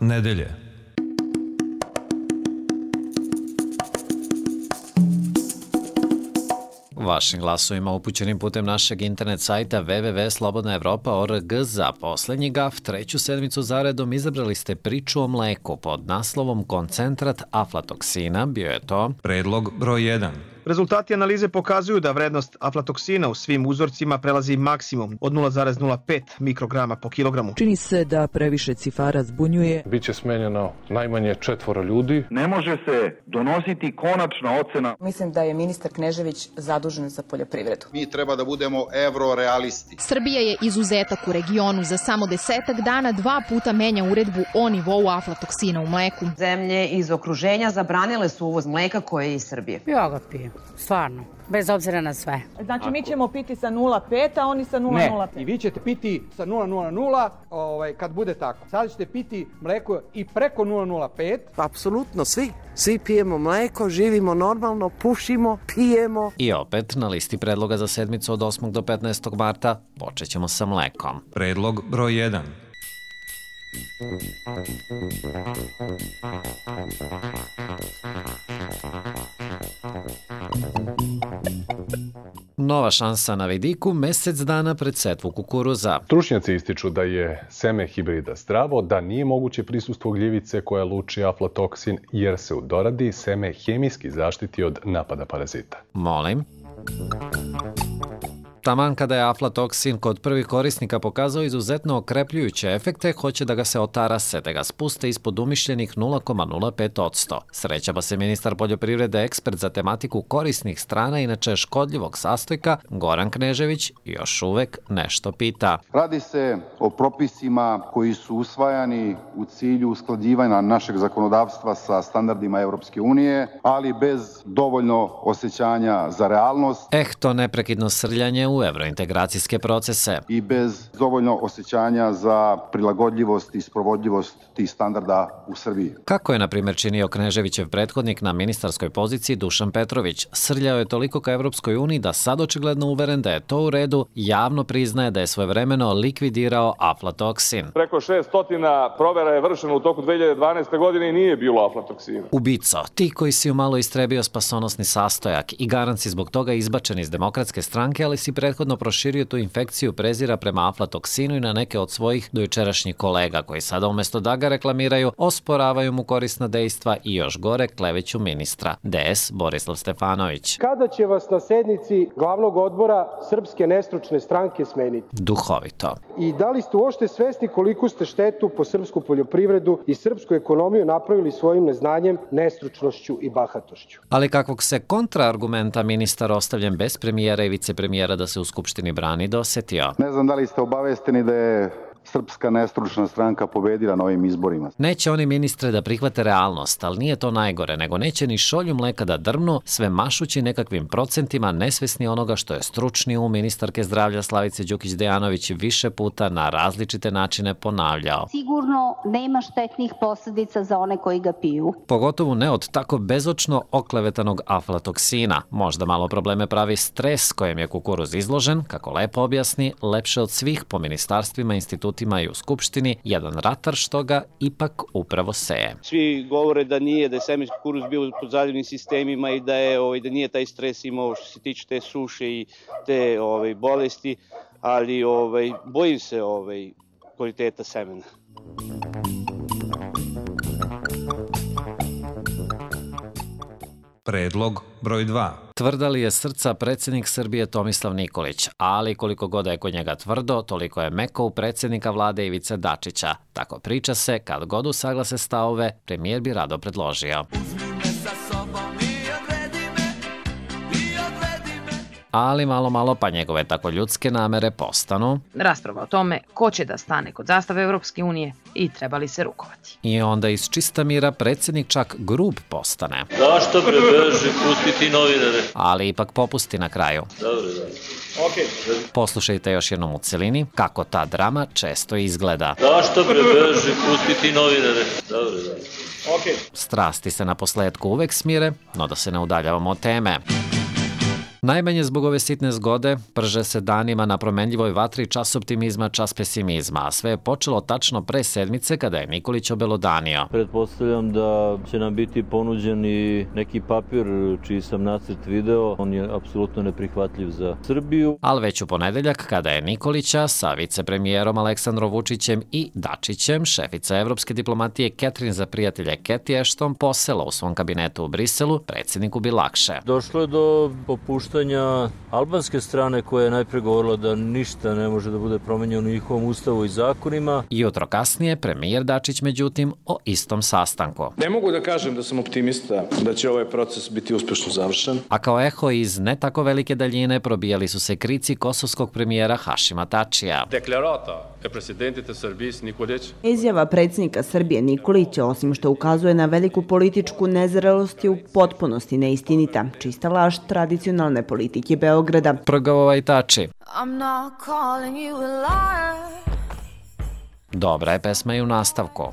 nedelje. Vašim glasovima upućenim putem našeg internet sajta www.slobodnaevropa.org za poslednji GAF, treću sedmicu zaredom izabrali ste priču o mleku pod naslovom Koncentrat aflatoksina. Bio je to Predlog broj 1. Rezultati analize pokazuju da vrednost aflatoksina u svim uzorcima prelazi maksimum od 0,05 mikrograma po kilogramu. Čini se da previše cifara zbunjuje. Biće smenjeno najmanje 4 ljudi. Ne može se donositi konačna ocena. Mislim da je ministar Knežević zadužen za poljoprivredu. Mi treba da budemo evrorealisti. Srbija je izuzetak u regionu. Za samo 10 dana 2 puta menja uredbu o nivou aflatoksina u mleku. Zemlje iz okruženja zabranile su uvoz mleka koje je iz Srbije. Ja ga pijem, stvarno, bez obzira na sve. Znači mi ćemo piti sa 0,5, a oni sa 0,05. Ne, i vi ćete piti sa 0,00 kad bude tako. Sada ćete piti mleko i preko 0,05. Apsolutno svi pijemo mleko, živimo normalno, pušimo, pijemo. I opet na listi predloga za sedmicu od 8. do 15. marta počet ćemo sa mlekom. Predlog broj 1. Nova šansa na vidiku mesec dana pred setvu kukuruza. Stručnjaci ističu da je seme hibrida zdravo, da nije moguće prisustvo gljivice koja luči aflatoksin jer se u doradi seme hemijski zaštiti od napada parazita. Molim? Taman kada je aflatoksin kod prvih korisnika pokazao izuzetno okrepljujuće efekte, hoće da ga se otarase, da ga spuste ispod umišljenih 0,05%. Sreća pa se ministar poljoprivrede, ekspert za tematiku korisnih strana, inače škodljivog sastojka, Goran Knežević, još uvek nešto pita. Radi se o propisima koji su usvajani u cilju usklađivanja našeg zakonodavstva sa standardima Evropske unije, ali bez dovoljno osjećanja za realnost. To neprekidno srljanje u evrointegracijske procese. I bez dovoljno osjećanja za prilagodljivost i sprovodljivost tih standarda u Srbiji. Kako je, na primjer, činio Kneževićev prethodnik na ministarskoj poziciji Dušan Petrović. Srljao je toliko ka Evropskoj uniji da sad očigledno uveren da je to u redu, javno priznaje da je svojevremeno likvidirao aflatoksin. Preko 600 provera je vršeno u toku 2012. godine i nije bilo aflatoksina. Ubico, ti koji si umalo istrebio spasonosni sastojak i garant si zbog toga izbačen iz Demokratske stranke, ali si prethodno proširio tu infekciju prezira prema aflatoksinu i na neke od svojih dojučerašnjih kolega koji sada umesto da ga reklamiraju, osporavaju mu korisna dejstva i još gore kleveću ministra. DS Borislav Stefanović. Kada će vas na sednici glavnog odbora Srpske nestručne stranke smeniti? Duhovito. I da li ste uopšte svesni koliko ste štetu po srpsku poljoprivredu i srpsku ekonomiju napravili svojim neznanjem, nestručnošću i bahatošću? Ali kakvog se kontraargumenta ministar ostavljen bez premijera i vicepremijera da se u Skupštini brani dosetio? Ne znam da li ste obavesteni da je Srpska nestručna stranka pobedila na ovim izborima. Neće oni, ministre, da prihvate realnost, ali nije to najgore, nego neće ni šolju mleka da drvnu, sve mašući nekakvim procentima, nesvesni onoga što je stručni ministarke zdravlja Slavice Đukić Dejanović više puta na različite načine ponavljao. Sigurno nema štetnih posledica za one koji ga piju. Pogotovo ne od tako bezočno oklevetanog aflatoksina. Možda malo probleme pravi stres kojem je kukuruz izložen, kako lepo objasni, lepše od svih po ministarstvima, institucijama i u Skupštini, jedan ratar što ga ipak upravo seje. Svi govore da je semenski kukuruz bio pod zaljevnim sistemima i da nije taj stres imao što se tiče te suše i te bolesti, ali bojim se kvaliteta semena. Predlog broj 2. Tvrda li je srca predsjednik Srbije Tomislav Nikolić, ali koliko god je kod njega tvrdo, toliko je meko u predsjednika vlade Ivice Dačića. Tako priča se, kad god usaglase stavove, premijer bi rado predložio. Ali malo pa njegove tako ljudske namere postanu rasprava o tome ko će da stane kod zastave Evropske unije i treba li se rukovati. I onda iz čista mira predsjednik čak grub postane. Zašto prebeži pustiti novinare? Ali ipak popusti na kraju. Dobro. Poslušajte još jednom u celini kako ta drama često izgleda. Zašto prebeži pustiti novinare? Dobro. Strasti se na posledku uvek smire, no da se ne udaljavamo od teme. Najmanje zbog ove sitne zgode prže se danima na promenljivoj vatri čas optimizma, čas pesimizma, a sve je počelo tačno pre sedmice kada je Nikolić obelodanio. Pretpostavljam da će nam biti ponuđen i neki papir čiji sam nacrt video. On je apsolutno neprihvatljiv za Srbiju. Ali već u ponedeljak kada je Nikolića sa vicepremijerom Aleksandrom Vučićem i Dačićem, šefica evropske diplomatije Catherine za prijatelje Cathy Ashton posela u svom kabinetu u Briselu, predsjedniku bi lakše. Došlo je do popuštanja albanske strane koja je najpre govorila da ništa ne može da bude promenjeno u njihovom ustavu i zakonima. Jutro kasnije premijer Dačić međutim o istom sastanku. Ne mogu da kažem da sam optimista da će ovaj proces biti uspešno završen. A kao eho iz ne tako velike daljine probijali su se krici kosovskog premijera Hašima Tačija. Deklarata presidentite Srbije Nikolić. Izjava predsjednika Srbije Nikolića, osim što ukazuje na veliku političku nezrelost, je u potpunosti neistinita, čista laž tradicionalne politike Beograda. Prgavova i Tači. Dobra je pesma i u nastavku.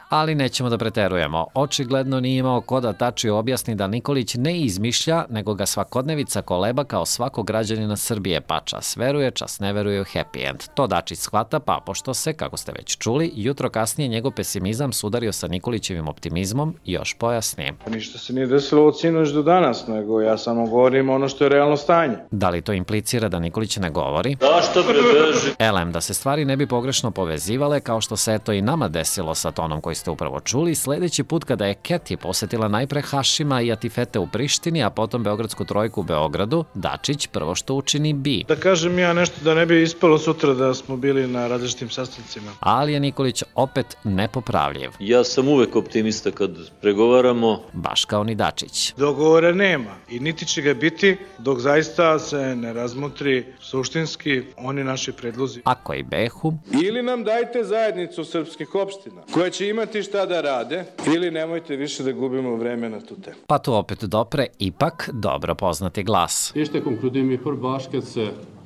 Ali nećemo da preterujemo. Očigledno nije imao ko da Tači objasni da Nikolić ne izmišlja, nego ga svakodnevica koleba kao svakog građanina Srbije, pa čas veruje, čas ne veruje u happy end. To Dačić shvata, pa pošto se, kako ste već čuli, jutro kasnije njegov pesimizam sudario sa Nikolićevim optimizmom, još pojasni. Ništa se nije desilo od sinoć do danas, nego ja samo govorim ono što je realno stanje. Da li to implicira da Nikolić ne govori? Zašto prebeži? Elem, da se stvari ne bi pogrešno povezivale, kao što se eto i nama desilo sa tonom koji ste upravo čuli, sledeći put kada je Cathy posetila najpre Hašima i Atifete u Prištini, a potom Beogradsku trojku u Beogradu, Dačić prvo što učini bi. Da kažem ja nešto da ne bi ispalo sutra da smo bili na različitim sastancima. Ali je Nikolić opet nepopravljiv. Ja sam uvek optimista kad pregovaramo. Baš kao ni Dačić. Dogovora nema i niti će ga biti dok zaista se ne razmotri suštinski oni naši predlozi. Ako i behu. Ili nam dajte zajednicu srpskih opština koja će imati šta da rade, ili nemojte više da gubimo vreme na tu temu. Pa tu opet dopre ipak dobro poznati glas.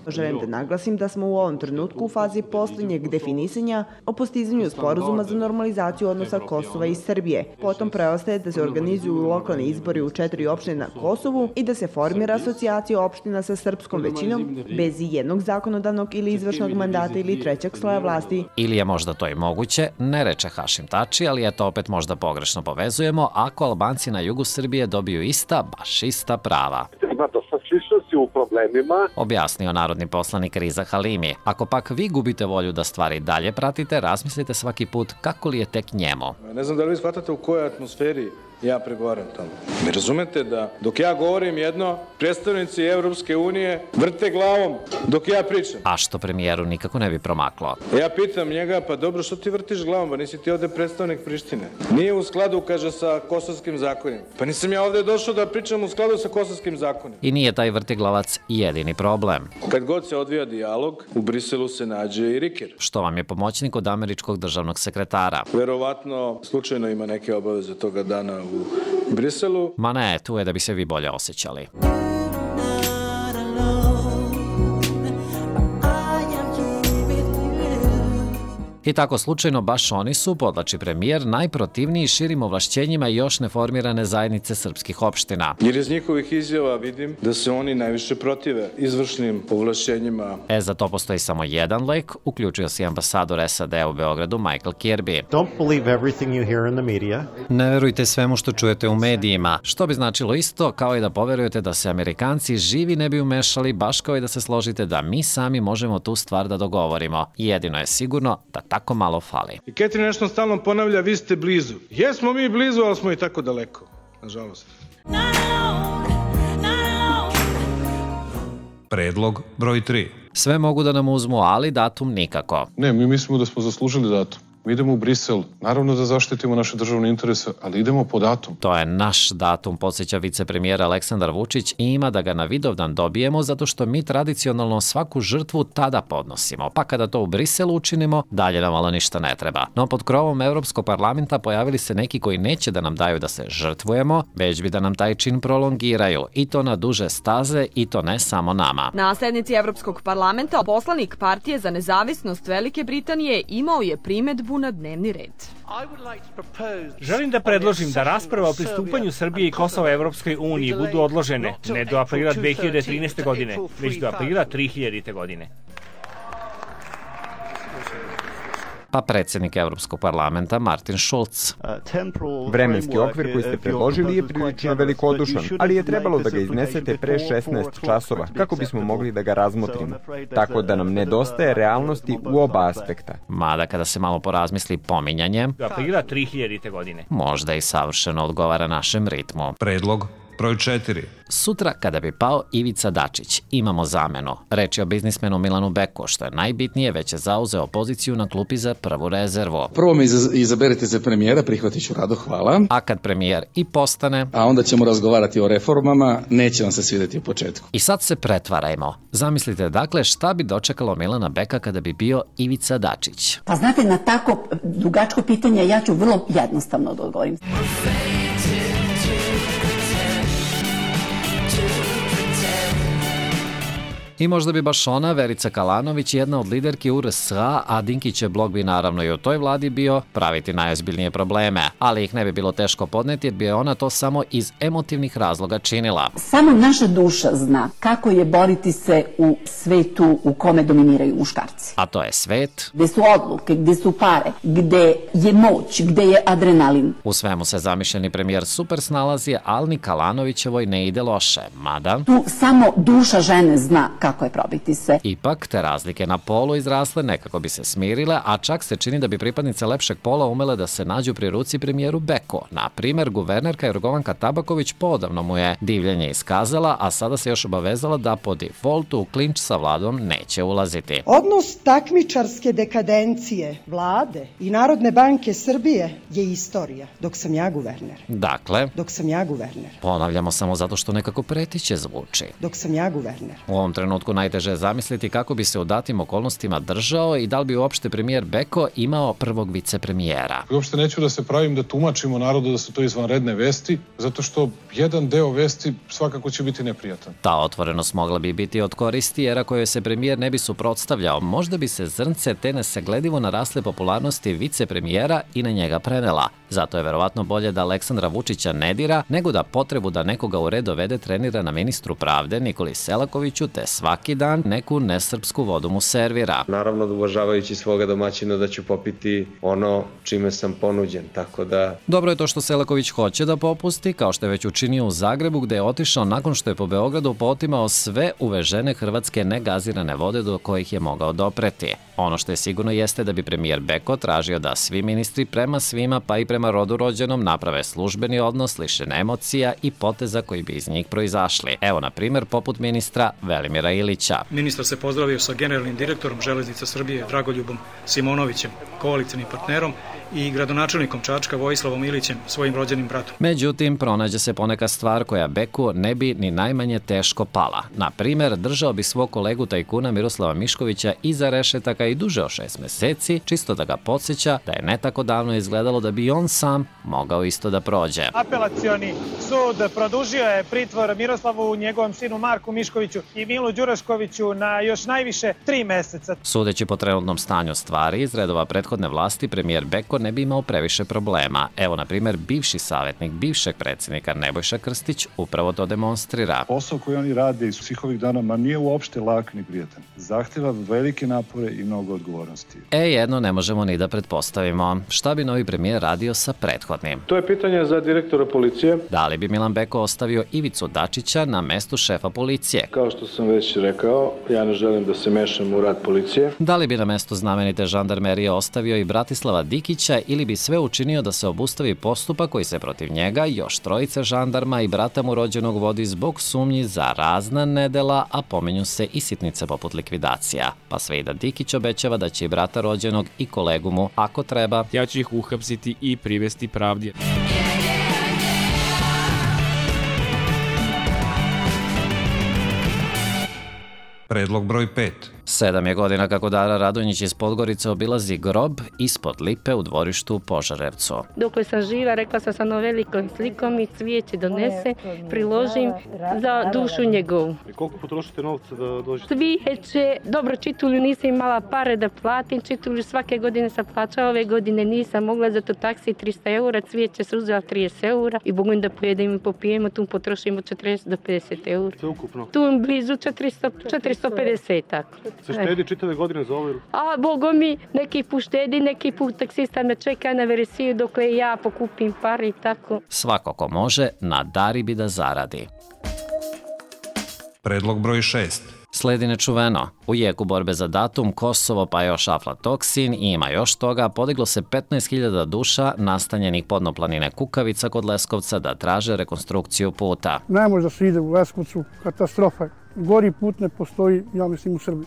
Želim da naglasim da smo u ovom trenutku u fazi posljednjeg definisanja o postizanju sporazuma za normalizaciju odnosa Kosova i Srbije. Potom preostaje da se organizuju lokalni izbori u 4 opštine na Kosovu i da se formira asocijacija opština sa srpskom većinom bez jednog zakonodavnog ili izvršnog mandata ili trećeg sloja vlasti. Ili je možda to i moguće, ne reče Hašim Tači, ali eto opet možda pogrešno povezujemo ako Albanci na jugu Srbije dobiju ista, baš ista prava. Ima dosta sličnosti u problemima, objasnio narodni poslanik Riza Halimi. Ako pak vi gubite volju da stvari dalje pratite, razmislite svaki put kako li je tek njemu. Ne znam da li vi shvatate u kojoj atmosferi ja pregovaram tamo. Mi razumete da dok ja govorim jedno, predstavnici Evropske unije vrte glavom dok ja pričam. A što premijeru nikako ne bi promaklo. Ja pitam njega, pa dobro, što ti vrtiš glavom, pa nisi ti ovde predstavnik Prištine. Nije u skladu, kaže, sa kosovskim zakonima. Pa nisam ja ovde došao da pričam u skladu sa kosovskim zakonima. I nije taj vrtiglavac jedini problem. Kad god se odvija dijalog, u Briselu se nađe i Riker. Što vam je pomoćnik od američkog državnog sekretara. Verovatno, slučajno ima neke obaveze toga dana u Briselu. Ma ne, tu je da bi se vi bolje osjećali. I tako slučajno baš oni su, podlači premijer, najprotivniji širim ovlašćenjima još neformirane zajednice srpskih opština. Jer iz njihovih izjava vidim da se oni najviše protive izvršnim ovlašćenjima. Za to postoji samo jedan lek, uključio se i ambasador SAD u Beogradu Michael Kirby. Don't believe everything you hear in the media. Ne verujte svemu što čujete u medijima, što bi značilo isto kao i da poverujete da se Amerikanci živi ne bi umešali, baš kao i da se složite da mi sami možemo tu stvar da dogovorimo. Jedino je sigurno da tako malo fali. I Catherine nešto stalno ponavlja, vi ste blizu. Jesmo mi blizu, ali smo i tako daleko, nažalost. Predlog broj 3. Sve mogu da nam uzmu, ali datum nikako. Ne, mi mislimo da smo zaslužili datum. Mi idemo u Brisel, naravno da zaštitimo naše državne interese, ali idemo po datum. To je naš datum, podsjeća vicepremijera Aleksandar Vučić i ima da ga na Vidovdan dobijemo zato što mi tradicionalno svaku žrtvu tada podnosimo. Pa kada to u Briselu učinimo, dalje nam malo ništa ne treba. No pod krovom Evropskog parlamenta pojavili se neki koji neće da nam daju da se žrtvujemo, već bi da nam taj čin prolongiraju i to na duže staze i to ne samo nama. Na sednici Evropskog parlamenta poslanik Partije za nezavisnost Velike Britanije imao je primedbu temu na dnevni red. Želim da predložim da rasprava o pristupanju Srbije i Kosova Evropskoj uniji budu odložene ne do aprila 2013. godine, već do aprila 3000. godine. Pa predsjednik Evropskog parlamenta Martin Schulz. Vremenski okvir koji ste predložili je prilično velikodušan, ali je trebalo da ga iznesete pre 16 časova kako bismo mogli da ga razmotrimo. Tako da nam nedostaje realnosti u oba aspekta. Mada kada se malo porazmisli, pominjanje do aprila 3000. godine možda i savršeno odgovara našem ritmu. Predlog broj 4. Sutra, kada bi pao Ivica Dačić, imamo zamenu. Reč je o biznismenu Milanu Beku, što je najbitnije, već je zauzeo poziciju na klupi za prvu rezervu. Prvo me izaberite za premijera, prihvatit ću rado, hvala. A kad premijer i postane... A onda ćemo razgovarati o reformama, neće vam se svidjeti u početku. I sad se pretvarajmo. Zamislite dakle šta bi dočekalo Milana Beka kada bi bio Ivica Dačić. Pa znate, na tako dugačko pitanje ja ću vrlo jednostavno da odgovorim. I možda bi baš ona, Verica Kalanović, jedna od liderki URS-a, a Dinkićev blog bi naravno i u toj vladi bio praviti najozbiljnije probleme, ali ih ne bi bilo teško podneti jer bi ona to samo iz emotivnih razloga činila. Samo naša duša zna kako je boriti se u svetu u kome dominiraju muškarci. A to je svet gde su odluke, gde su pare, gde je moć, gde je adrenalin. U svemu se zamišljeni premijer super snalazi, ali ni Kalanovićevoj ne ide loše, mada... Tu samo duša žene zna kako je probiti se. Ipak, te razlike na polu izrasle nekako bi se smirile, a čak se čini da bi pripadnice lepšeg pola umele da se nađu pri ruci premijeru Beko. Na primer, guvernerka Jorgovanka Tabaković podavno mu je divljenje iskazala, a sada se još obavezala da po defaultu u klinč sa vladom neće ulaziti. Odnos takmičarske dekadencije vlade i Narodne banke Srbije je istorija, dok sam ja guverner. Dakle, dok sam ja guverner. Ponavljamo samo zato što nekako pretiće zvuči. Dok sam ja guverner. U ovom trenutku najteže je zamisliti kako bi se u datim okolnostima držao i da li bi uopšte premijer Beko imao prvog vicepremijera. Uopšte neću da se pravim da tumačimo narodu da su to izvanredne vesti, zato što jedan deo vesti svakako će biti neprijatan. Ta otvorenost mogla bi biti od koristi, jer ako joj se premijer ne bi suprotstavljao, možda bi se zrnce te nesagledivo narasle popularnosti vicepremijera i na njega prenela. Zato je verovatno bolje da Aleksandra Vučića ne dira, nego da potrebu da nekoga u red dovede trenira na ministru pravde Nikoli Selakoviću, te svaki dan neku nesrpsku vodu mu servira. Naravno da uvažavajući svoga domaćina da ću popiti ono čime sam ponuđen, tako da... Dobro je to što Selaković hoće da popusti, kao što je već učinio u Zagrebu, gde je otišao nakon što je po Beogradu potimao sve uvežene hrvatske negazirane vode do kojih je mogao dopreti. Ono što je sigurno jeste da bi premijer Beko tražio da svi ministri prema svima, pa i prema rodu rođenom, naprave službeni odnos lišen emocija i poteza koji bi iz njih proizašli. Evo, na primjer, poput ministra Velimira Ilića. Ministar se pozdravio sa generalnim direktorom Železnica Srbije Dragoljubom Simonovićem, koalicionim partnerom, i gradonačelnikom Čačka Vojislavom Ilićem, svojim rođenim bratom. Međutim, pronađe se poneka stvar koja Beku ne bi ni najmanje teško pala. Na primjer, držao bi svog kolegu tajkuna Miroslava Miškovića iza rešetaka i duže od 6 meseci, čisto da ga podsjeća da je ne tako davno izgledalo da bi on sam mogao isto da prođe. Apelacioni sud produžio je pritvor Miroslavu, njegovom sinu Marku Miškoviću i Milu Đuraškoviću na još najviše 3 meseca. Sudeći po trenutnom stanju stvari, iz redova prethodne vlasti, premijer Beko ne bi imao previše problema. Evo, na primjer, bivši savjetnik bivšeg predsjednika Nebojša Krstić upravo to demonstrira. Posao koji oni rade iz svih ovih dana nije uopšte lak ni prijatan. Zahteva velike napore i mnogo odgovornosti. Jedno ne možemo ni da pretpostavimo. Šta bi novi premijer radio sa prethodnim? To je pitanje za direktora policije. Da li bi Milan Beko ostavio Ivicu Dačića na mestu šefa policije? Kao što sam već rekao, ja ne želim da se mešam u rad policije. Da li bi na mestu znamenite žandarmerije ostavio i Bratislava Dikića ili bi sve učinio da se obustavi postupak koji se protiv njega, još 3 žandarma i brata mu rođenog vodi zbog sumnji za razna nedela, a pomenju se i sitnice poput likvidacija. Pa sve i da Dikić obećava da će i brata rođenog i kolegu mu, ako treba, ja ću ih uhapsiti i privesti pravdi. Predlog broj 5. 7 je godina kako Dara Radonjić iz Podgorice obilazi grob ispod lipe u dvorištu u Požarevcu. Dokle sam živa, rekla sam sa velikom slikom i cvijeće donese, priložim za dušu njegovu. I koliko potrošite novca da dođete? Cvijeće, dobro, čitulju nisam imala pare da platim, čitulju svake godine sam plaćala, ove godine nisam mogla, zato taksi 300 eura, cvijeće se uzela 30 eura i Bogom da pojedemo i popijemo, tu potrošimo 40 do 50 eura. Sve ukupno? Tu blizu 450, tako. Se štedi čitave godine za ovo? A Bogom mi, neki put štedi, neki put taksista me čeka na veresiju dokle ja pokupim pare i tako. Svako ko može, na Dari bi da zaradi. Predlog broj 6. Sledi nečuveno. U jeku borbe za datum, Kosovo pa još aflatoksin i ima još toga, podiglo se 15.000 duša nastanjenih podnoplanine Kukavica kod Leskovca da traže rekonstrukciju puta. Ne može da se ide u Leskovcu, katastrofa. Gori put ne postoji, ja mislim, u Srbiji.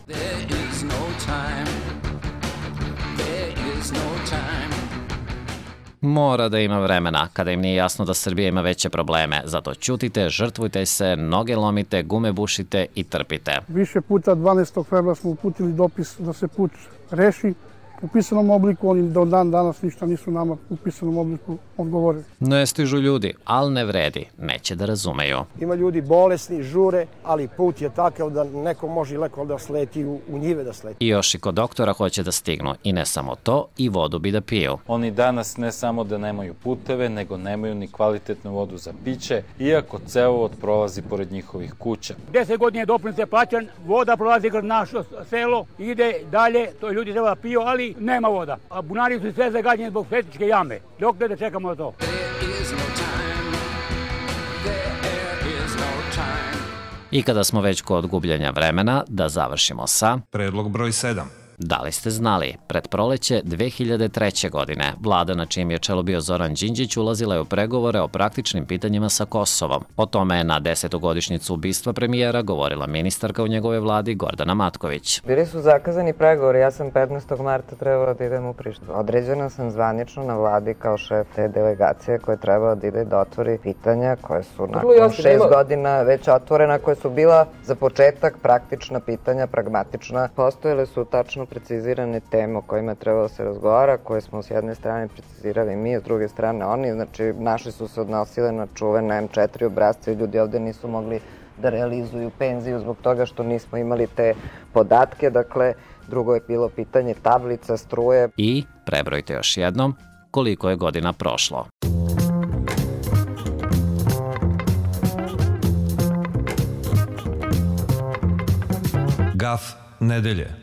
Mora da ima vremena, kada im nije jasno da Srbija ima veće probleme. Zato ćutite, žrtvujte se, noge lomite, gume bušite i trpite. Više puta 12. februara smo uputili dopis da se put reši u pisanom obliku, oni do dan danas ništa nisu nama u pisanom obliku odgovorili. Ne stižu ljudi, ali ne vredi, neće da razumeju. Ima ljudi bolesni, žure, ali put je takav da neko može leko da sleti u njive da sleti. I još i kod doktora hoće da stignu. I ne samo to, i vodu bi da piju. Oni danas ne samo da nemaju puteve, nego nemaju ni kvalitetnu vodu za piće, iako cevovod prolazi pored njihovih kuća. 10 godina je doprinos plaćan, voda prolazi kroz naše selo, ide dalje, to ljudi treba da piju, ali nema voda. A bunari su sve zagađeni zbog septičke jame. Dok da čekamo na to? I kada smo već kod gubljenja vremena, da završimo sa... Predlog broj 7. Da li ste znali? Pred proleće 2003. godine vlada na čijem je čelu bio Zoran Đinđić ulazila je u pregovore o praktičnim pitanjima sa Kosovom. O tome je na 10. godišnjicu ubistva premijera govorila ministarka u njegove vladi Gordana Matković. Bili su zakazani pregovori, ja sam 15. marta trebala da idem u Prištinu. Određena sam zvanično na vladi kao šef te delegacije koja je trebala da ide da otvori pitanja koje su nakon 6 godina već otvorena, koje su bila za početak praktična pitanja, pragmatična. Postojele su tačno precizirane teme o kojima trebalo se razgovara, koje smo s jedne strane precizirali mi, s druge strane oni. Znači, naši su se odnosile na čuvene M4 obrazce i ljudi ovde nisu mogli da realizuju penziju zbog toga što nismo imali te podatke. Dakle, drugo je bilo pitanje tablica, struje. I, prebrojte još jednom, koliko je godina prošlo. Gaf nedelje.